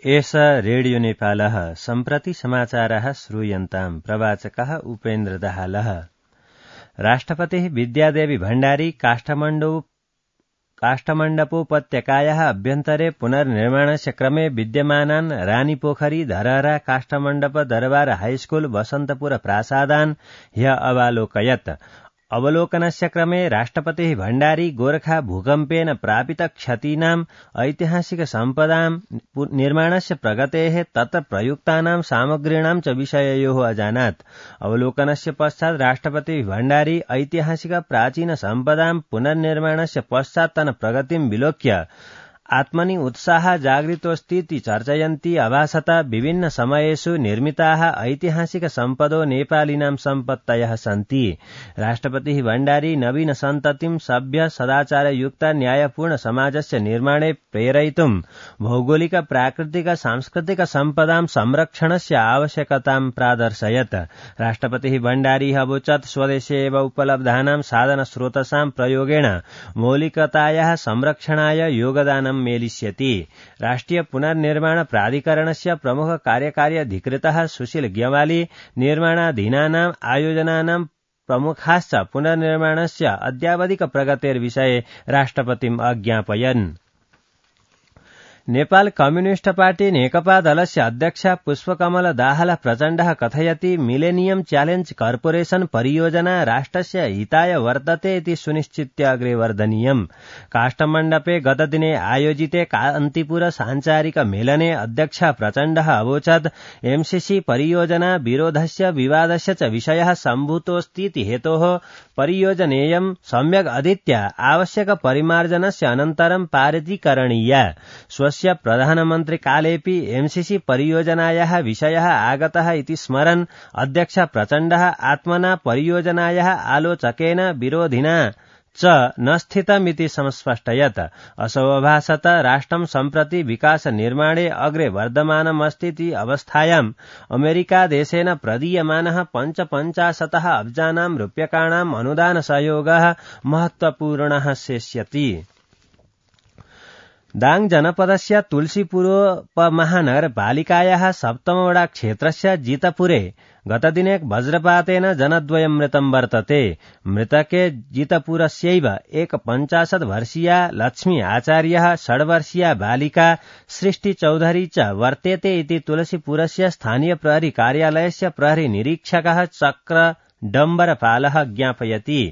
एष रेडियो नेपालः सम्प्रति समाचारः श्रूयन्ताम् प्रवाचकः उपेन्द्र दाहालः। राष्ट्रपतिः विद्यादेवी भण्डारी काष्ठमण्डपोपत्यकायाः अभ्यन्तरे पुनर्निर्माणस्य क्रमे विद्यमानान् रानीपोखरी धरहरा काष्ठमण्डप दरबार हाईस्कूल वसन्तपुर प्रासादान् ह्यः अवालोकयत्। अवलोकनस्य क्रमे राष्ट्रपतिः भण्डारी गोरखा भूकम्पेन प्रापित क्षतीनाम् ऐतिहासिक सम्पदां निर्माणस्य प्रगतेः तत्र प्रयुक्तानां सामग्रीणां च विषययोः अजानात्। अवलोकनस्य पश्चात् राष्ट्रपतिः भण्डारी ऐतिहासिक प्राचीन सम्पदां पुनर्निर्माणस्य पश्चात्तन प्रगतिं विलोक्य आत्मनि उत्साहः जागरितोऽस्तीति चर्चयन्ती अभासत विभिन्न समयेषु निर्मिताः ऐतिहासिक सम्पदो नेपालिनां सम्पत्तयः सन्ति। राष्ट्रपतिः भण्डारी नवीन सन्ततिं सभ्य सदाचारयुक्त न्यायपूर्ण समाजस्य निर्माणे प्रेरयितुं भौगोलिक प्राकृतिक सांस्कृतिक सम्पदां संरक्षणस्य आवश्यकतां प्रादर्शयत्। राष्ट्रपतिः भण्डारी अवोचत् स्वदेशे एव उपलब्धानां साधनस्रोतसां प्रयोगेण मौलिकतायाः संरक्षणाय योगदानं मेलिष्यति। राष्ट्रिय पुनर्निर्माण प्राधिकरणस्य प्रमुख कार्यकारी अधिकृतः सुशील ग्यवाली निर्माणाधीनानाम् आयोजनानां प्रमुखाश्च पुनर्निर्माणस्य अद्यावधिक प्रगतेर्विषये राष्ट्रपतिम् अज्ञापयन्। नेपाल कम्युनिस्ट पार्टी नेकपा दलस्य अध्यक्ष पुष्पकमल दाहाल प्रचण्डः कथयति मिलेनियम च्यालेंज कर्पोरेशन परियोजना राष्ट्रस्य हिताय वर्तते इति सुनिश्चित्य अग्रे वर्धनीयम्। काष्ठमण्डपे गतदिने आयोजिते कान्तिपुर सांचारिक मेलने अध्यक्ष प्रचण्डः अवोचत् एमसीसी परियोजना विरोधस्य विवादस्य च विषयः सम्भूतोऽस्तीति हेतोः परियोजनेयं सम्यक् अधीत्य आवश्यक परिमार्जनस्य अनन्तरं पारितीकरणीया। स्वस्य प्रधानमन्त्रिकालेऽपि एमसीसी परियोजनायाः विषयः आगतः इति स्मरन् अध्यक्ष प्रचण्डः आत्मना परियोजनायाः आलोचकेन विरोधिना च न स्थितमिति संस्पष्टयत्। असौ अभासत राष्ट्रं सम्प्रति विकास निर्माणे अग्रे वर्धमानमस्तीति अवस्थायाम् अमेरिकादेशेन प्रदीयमानः 55 अब्जानां रूप्यकाणाम् अनुदान सहयोगः महत्वपूर्णः शेष्यति। दाङ जनपदस्य तुलसीपुरोपमहानगरपालिकायाः 7 वडा क्षेत्रस्य जितपुरे गतदिने वज्रपातेन जनद्वयं मृतं वर्तते। मृतके जितपुरस्यैव 51 वर्षीया लक्ष्मी आचार्यः 6 वर्षीया बालिका सृष्टि चौधरी च वर्तेते इति तुलसीपुरस्य स्थानीय प्रहरी कार्यालयस्य प्रहरी निरीक्षकः चक्र डम्बरपालः ज्ञापयति।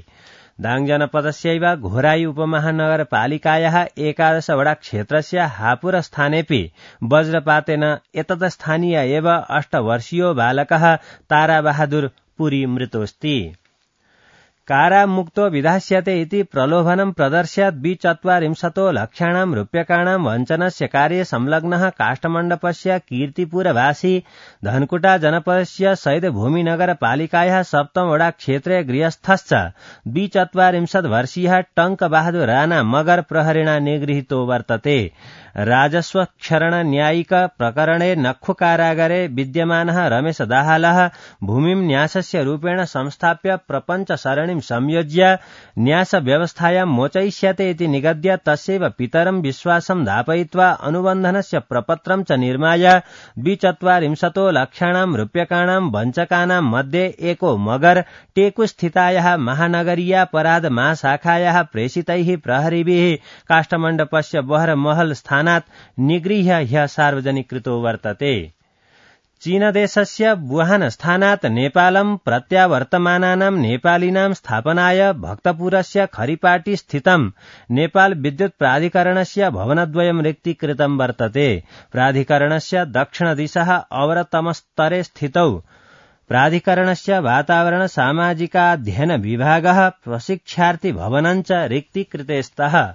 दाङ जनपदस्यैव घोराई उपमहानगरपालिकायाः 11 वडा क्षेत्रस्य हापुर स्थानेऽपि वज्रपातेन एतत् स्थानीय एव 8 वर्षीयो बालकः ताराबहादुर पुरी मृतोऽस्ति। कारामुक्तो विधास्यते इति प्रलोभनं प्रदर्श्य 24 लक्षाणां रूप्यकाणां वञ्चनस्य कार्ये संलग्नः काष्ठमण्डपस्य कीर्तिपुरवासी धनकुटा जनपदस्य सैदभूमिनगरपालिकायाः 7 वडा क्षेत्रे गृहस्थश्च 24 वर्षीयः टंक बहादुर राणा मगर प्रहरिणा निगृहीतो वर्तते। राजस्व क्षरण न्यायिक प्रकरणे नख्खु कारागारे विद्यमानः रमेश दाहालः भूमिं न्यासस्य रूपेण संस्थाप्य प्रपञ्च सरणिं संयोज्य न्यास व्यवस्थायां मोचयिष्यते इति निगद्य तस्यैव पितरं विश्वासं दापयित्वा अनुबन्धनस्य प्रपत्रं च निर्माय 24 लक्षाणां रूप्यकाणां वञ्चकानां मध्ये एको मगर टेकु स्थितायाः महानगरीयापराध महाशाखायाः प्रेषितैः प्रहरीभिः काष्ठमण्डपस्य बहरमहल स्थानात् निगृह्य ह्यः सार्वजनिकृतो वर्तते। चीनदेशस्य वुहान स्थानात् नेपालं प्रत्यावर्तमानानां नेपालिनां स्थापनाय भक्तपुरस्य खरिपाटी स्थितं नेपाल विद्युत् प्राधिकरणस्य भवनद्वयं रिक्तीकृतं वर्तते। प्राधिकरणस्य दक्षिणदिशः अवरतमस्तरे स्थितौ प्राधिकरणस्य वातावरण सामाजिकाध्ययन विभागः प्रशिक्षार्थी भवनं च रिक्तीकृते स्तः।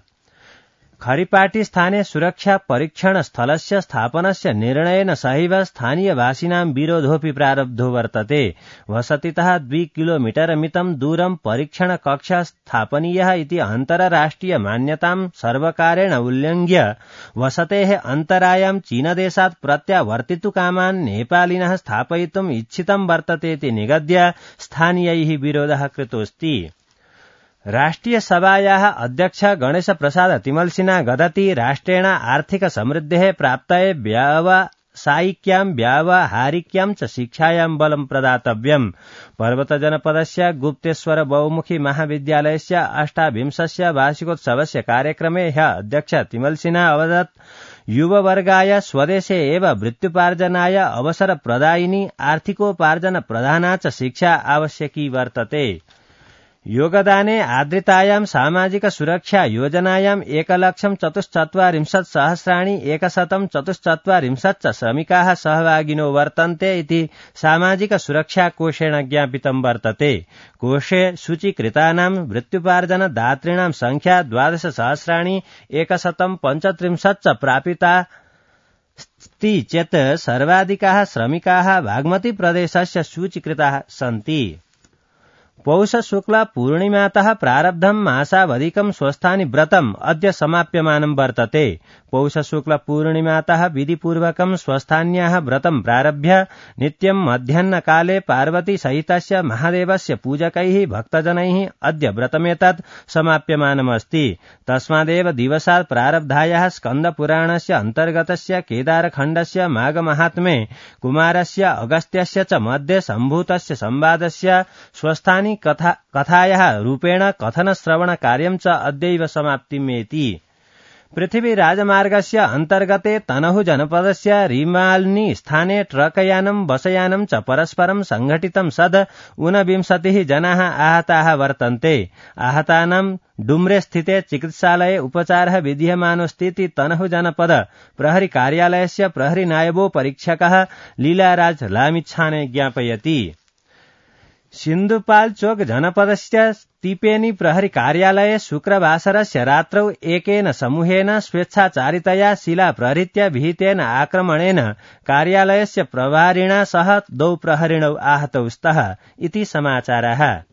खरिपाटी स्थाने सुरक्षा परीक्षण स्थलस्य स्थापनस्य निर्णयेन सहैव स्थानीयवासिनां विरोधोऽपि प्रारब्धो वर्तते। वसतितः 2 किलोमीटर मितं दूरं परीक्षण कक्ष स्थापनीयः इति अन्तरराष्ट्रिय मान्यतां सर्वकारेण उल्लङ्घ्य वसतेः अन्तरायां चीनदेशात् प्रत्यावर्तितुकामान् नेपालिनः स्थापयितुम् इच्छितं वर्तते इति निगद्य स्थानीयैः विरोधः कृतोऽस्ति। राष्ट्रियसभायाः अध्यक्ष गणेशप्रसाद तिमल्सिना गदति राष्ट्रेण आर्थिकसमृद्धेः प्राप्तये व्यावसायिक्यां व्यावहारिक्यां च शिक्षायां बलं प्रदातव्यम्। पर्वतजनपदस्य गुप्तेश्वर बहुमुखी महाविद्यालयस्य 28 वार्षिकोत्सवस्य कार्यक्रमे ह्यः अध्यक्ष तिमल्सिना अवदत् युववर्गाय स्वदेशे एव वृत्त्युपार्जनाय अवसरप्रदायिनी आर्थिकोपार्जनप्रधाना च शिक्षा आवश्यकी वर्तते। योगदाने आद्रितायां सामाजिक सुरक्षा योजनायां 1,40,144 च श्रमिकाः सहभागिनो वर्तन्ते इति सामाजिक सुरक्षा कोषेण ज्ञापितं वर्तते। कोषे सूचीकृतानां वृत्त्युपार्जनदातॄणां संख्या 12,135 च प्रापितास्ति चेत् सर्वाधिकाः श्रमिकाः बागमती प्रदेशस्य सूचीकृताः सन्ति। पौष शुक्ल पूर्णिमातः प्रारब्धं मासावधिकं स्वस्थानि व्रतम् अद्य समाप्यमानं वर्तते। पौष शुक्ल पूर्णिमातः विधिपूर्वकं स्वस्थान्याः व्रतं प्रारभ्य नित्यं मध्याह्नकाले पार्वती सहितस्य महादेवस्य पूजकैः भक्तजनैः अद्य व्रतमेतत् समाप्यमानमस्ति। तस्मादेव दिवसात् प्रारब्धायाः स्कन्दपुराणस्य अन्तर्गतस्य केदारखण्डस्य माघमाहात्म्ये कुमारस्य अगस्त्यस्य च मध्ये सम्भूतस्य संवादस्य स्वस्थानि कथायाः रूपेण कथनश्रवणकार्यं च अद्यैव समाप्तिमेति। पृथ्वी राजमार्गस्य अन्तर्गते तनहु जनपदस्य रिमाल्नी स्थाने ट्रकयानं बसयानं च परस्परं संघटितं सद् 29 जनाः आहताः वर्तन्ते। आहतानां डुम्रे स्थिते चिकित्सालये उपचारः विधीयमानोऽस्तीति तनहु जनपद प्रहरी कार्यालयस्य प्रहरी नायबो परीक्षकः लीलाराज लामिच्छाने ज्ञापयति। सिन्धुपाल् चौक जनपदस्य तिपेनी प्रहरी कार्यालये शुक्रवासरस्य रात्रौ एकेन समूहेन स्वेच्छाचारितया शिला प्रहृत्य विहितेन आक्रमणेन कार्यालयस्य प्रभारिणा सह 2 प्रहरिणौ आहतौ स्तः इति समाचारः।